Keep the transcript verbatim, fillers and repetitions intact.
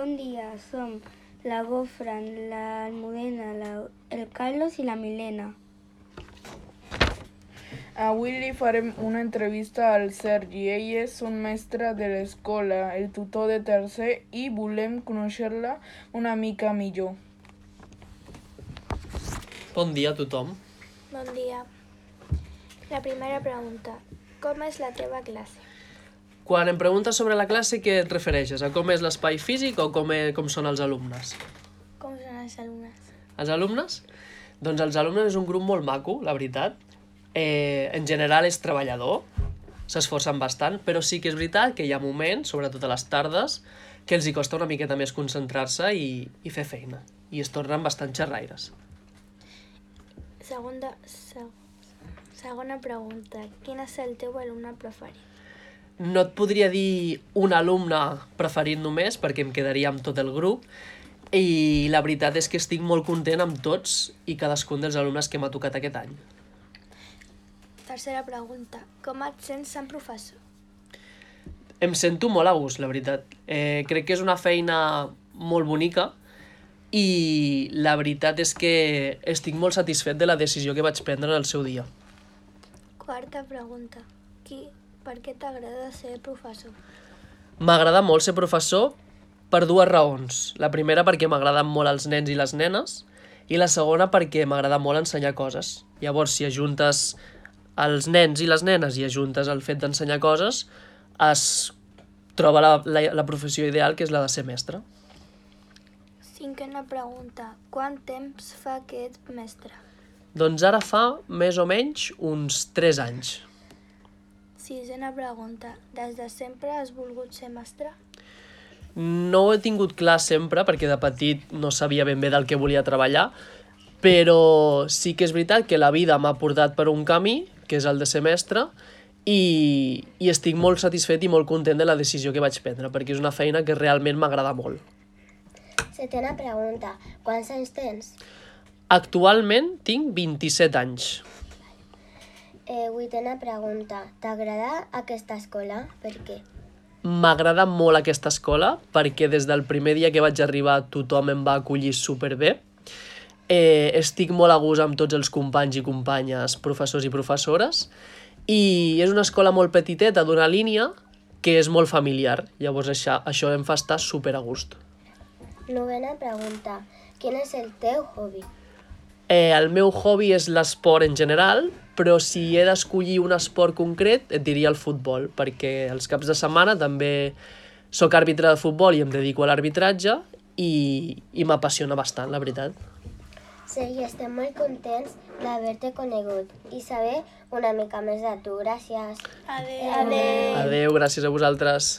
Bon dia, som la Gofran, l'Almudena, la, el Carlos i la Milena. Avui li farem una entrevista al Sergi. Ell és un mestre de l'escola, el tutor de tercer, i volem conèixer-la una mica millor. Bon dia a tothom. Bon dia. La primera pregunta. Com és la teva classe? Quan em preguntes sobre la classe, què et refereixes? A com és l'espai físic o com, e- com són els alumnes? Com són els alumnes? Els alumnes? Doncs els alumnes és un grup molt maco, la veritat. Eh, en general és treballador, s'esforcen bastant, però sí que és veritat que hi ha moments, sobretot a les tardes, que els hi costa una miqueta més concentrar-se i, i fer feina. I es tornen bastant xerraires. Segunda, seg, segona pregunta. Quin és el teu alumne preferit? No et podria dir un alumne preferit només, perquè em quedaria amb tot el grup, i la veritat és que estic molt content amb tots i cadascun dels alumnes que m'ha tocat aquest any. Tercera pregunta. Com et sents sent professor? Em sento molt a gust, la veritat. Eh, crec que és una feina molt bonica i la veritat és que estic molt satisfet de la decisió que vaig prendre en el seu dia. Quarta pregunta. Qui, per què t'agrada ser professor? M'agrada molt ser professor per dues raons. La primera perquè m'agraden molt els nens i les nenes i la segona perquè m'agrada molt ensenyar coses. Llavors, si ajuntes els nens i les nenes i ajuntes el fet d'ensenyar coses, es troba la, la, la professió ideal, que és la de ser mestre. Cinquena pregunta. Quant temps fa que ets mestre? Doncs ara fa més o menys uns tres anys. Sisena pregunta. Des de sempre has volgut ser mestre? No ho he tingut clar sempre, perquè de petit no sabia ben bé del que volia treballar, però sí que és veritat que la vida m'ha portat per un camí, que és el de ser mestre, i, i estic molt satisfet i molt content de la decisió que vaig prendre, perquè és una feina que realment m'agrada molt. Setena pregunta. Quants anys tens? Actualment tinc vint-i-set anys. Eh, vuitena pregunta. T'agrada aquesta escola? Per què? M'agrada molt aquesta escola perquè des del primer dia que vaig arribar tothom em va acollir superbé. Eh, estic molt a gust amb tots els companys i companyes, professors i professores, i és una escola molt petiteta d'una línia que és molt familiar. Llavors això, això em fa estar super a gust. Novena pregunta. Quin és el teu hobby? Eh, el meu hobby és l'esport en general, però si he d'escollir un esport concret et diria el futbol, perquè els caps de setmana també sóc àrbitre de futbol i em dedico a l'arbitratge i, i m'apassiona bastant, la veritat. Sergi, estem molt contents d'haver-te conegut i saber una mica més de tu. Gràcies. Adéu. Adéu. Adéu, gràcies a vosaltres.